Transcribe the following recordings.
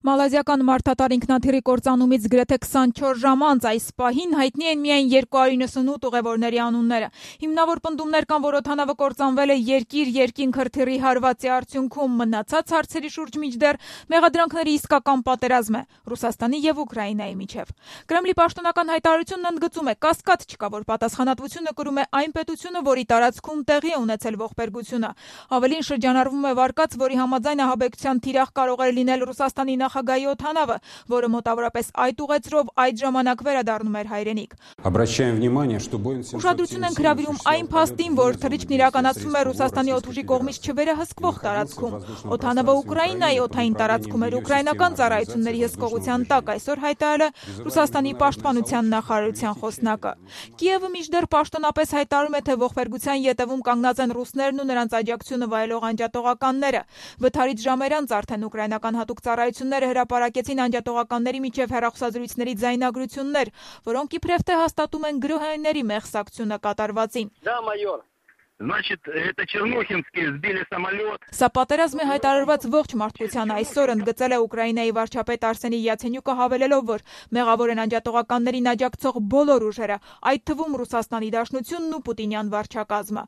Մալազիական մարդատար ինքնաթիռի կործանումից գրեթե 24 ժամ անց այս պահին հայտնի են միայն 298 ուղևորների անունները։ Հիմնավոր պնդումներ կան, որ օդանավը կործանվել է երկիր-երկինք հրթիռի հարվածի արդյունքում։ Մնացած հարցերի շուրջ մինչդեռ մեղադրանքների իսկական պատերազմ է Ռուսաստանի եւ Ուկրաինայի միջև։ Կրեմլի պաշտոնական հայտարարությունն ընդգծում է՝ կասկած չկա, որ պատասխանատվությունը կրում է այն պետությունը, որի տարածքում տեղի է ունեցել ողբերգությունը։ Ավելին, շրջանառվում է վարկած, որի համաձայն ահաբեկչության թիրախ կարող էր լինել Ռուսաստանի նախագահի օդանավը, որը մոտավորապես այդ ուղեծրով այդ ժամանակ վերադառնում էր հայրենիք։ Ուշադրություն ենք հրավիրում այն փաստին, որ թռիչքն իրականացվում է Ռուսաստանի օդուժի կողմից չվերահսկվող տարածքում։ Օդանավը Ուկրաինայի օդային տարածքում էր ուկրաինական ծառայությունների հսկողության տակ, այսօր հայտարարել է Ռուսաստանի պաշտպանության նախարարության խոսնակը։ Կիևը մինչդեռ պաշտոնապես հայտարարում է, թե ողբերգության ետևում կանգնած են ռուսներն ու նրանց աջակցությունը վայելող անջատողականները։ Վթարից ժամեր անց արդեն ուկրաինական հատուկ ծառայությունները հրապարակեցին անջատողականների միջև հեռախոսազրույցների ձայնագրություններ, որոնք իբրև թե հաստատում են գրոհայինների մեղսակցությունը կատարվածին։ Սա պատերազմ է հայտարարված ողջ մարդկության այսօր, ընդգծել է Ուկրաինայի վարչապետ Արսենի Յացենյուկը, հավելելով, որ մեղավոր են անջատողականներին աջակցող բոլոր ուժերը, այդ թվում Ռուսաստանի Դաշնությունն ու պուտինյան վարչակազմը։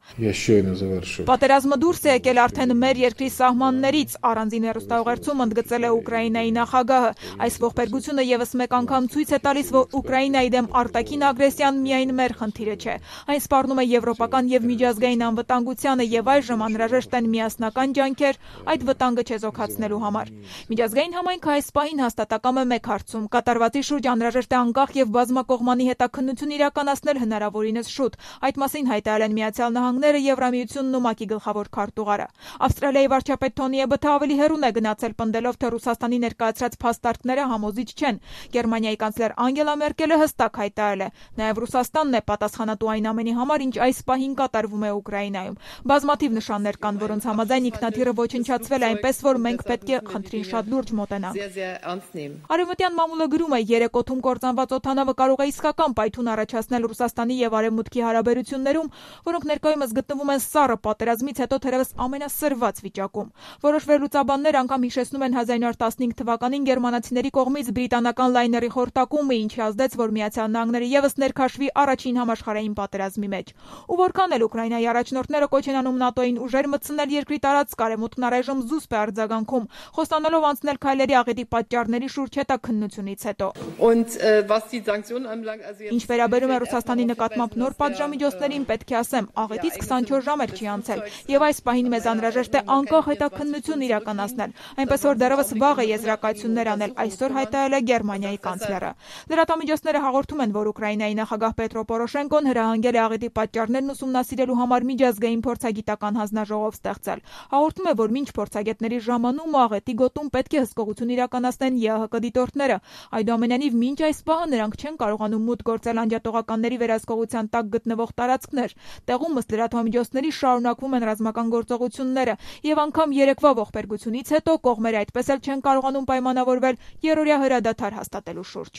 Պատերազմը դուրս է եկել արդեն մեր երկրի սահմաններից, առանձին հեռուստաուղերձում ընդգծել է Ուկրաինայի նախագահը։ Այս ողբերգությունը եւս մեկ անգամ ցույց է տալիս, որ Ուկրաինայի դեմ արտաքին ագրեսիան միայն մեր խնդիրը չէ։ Այն սպառնում է եվրոպական եւ միջազգային անվտանգությանը եւ այժմ անհրաժեշտ են միասնական ջանքեր այդ վտանգը չեզոքացնելու համար։ Միջազգային համայնքը այս պահին հաստատակամ է մեկ հարցում՝ կատարվածի շուրջ անհրաժեշտ է անկախ եւ բազմակողմանի հետաքննություն իրականացնել հնարավորինս շուտ։ Այդ մասին հայտարարել են Միացյալ Նահանգները, Եվրամիությունն ու ՄԱԿ-ի գլխավոր քարտուղարը։ Ավստրալիայի վարչապետ Թոնի Էբոթը ավելի հեռուն է գնացել, պնդելով, թե Ռուսաստանի ներկայացրած փաստարկները համոզիչ չեն։ Գերմանիայի կանցլեր Անգելա Մերկելը հստակ հայտարարել է՝ նաեւ Ռուսաստանն է պատասխանատու այն ամենի համար, ինչ այս պահին կատարվում է Ուկրաինայում։ Բազմաթիվ նշաններ կան, որոնց համաձայն ինքնաթիռը ոչնչացվել է, այնպես որ մենք պետք է խնդրին շատ լուրջ մոտենանք։ Արևմտյան մամուլը գրում է՝ երեք օդում կործանված օդանավը կարող է իսկական պայթուն առաջացնել Ռուսաստանի եւ Արևմուտքի հարաբերություններում, որոնք ներկայումս գտնվում են սառը պատերազմից հետո թերևս ամենասրված վիճակում։ Որոշ վերլուծաբաններ անգամ հիշեցնում են 1915 թվականին գերմանացիների կողմից բրիտանական լայների խորտակումը, ինչը ազդեց, որ Միացյալ Նահանգները եւս ներքաշվի առաջին համաշխարհային պատերազմի մեջ։ Ու որքան էլ Ուկրաինայի առաջնորդները կոչ են անում ՆԱՏՕ-ին ուժեր մտցնել երկրի տարածք, արևմուտքն առայժմ զուսպ է արձագանքում, խոստանալով անցնել քայլերի աղետի պատճառների շուրջ հետաքննությունից հետո։ Ինչ վերաբերում է Ռուսաստանի նկատմամբ նոր պատժամիջոցներին, պետք է ասեմ, աղետից 24 ժամ էլ չի անցել, եւ այս պահին մեզ անհրաժեշտ է անկախ հետաքննություն իրականացնել, այնպես որ դեռևս վաղ է եզրակացություններ անել, այսօր հայտարարել է Գերմանիայի կանցլերը։ Լրատվամիջոցները հաղորդում են, որ Ուկրաինայի նախագահ Պետրո Պորոշենկոն հրահանգել է աղետի պատճառներն ուսումնասիրելու համար միջազգային փորձագիտական հանձնաժողով ստեղծել։ Հաղորդում է, որ մինչ փորձագետների ժամանում աղետի գոտում պետք է հսկողություն իրականացնեն ԵԱՀԿ դիտորդները։ Այդուամենայնիվ, մինչ այս պահը նրանք չեն կարողանում մուտք գործել անջատողականների վերահսկողության տակ գտնվող տարածքներ։ Տեղում ըստ լրատվամիջոցների շարունակվում են ռազմական գործողությունները, եւ անգամ երեկվա ողբերգությունից հետո կողմերը այդպես էլ չեն կարողանում պայմանավորվել երրորդյա հրադադար հաստատելու շուրջ։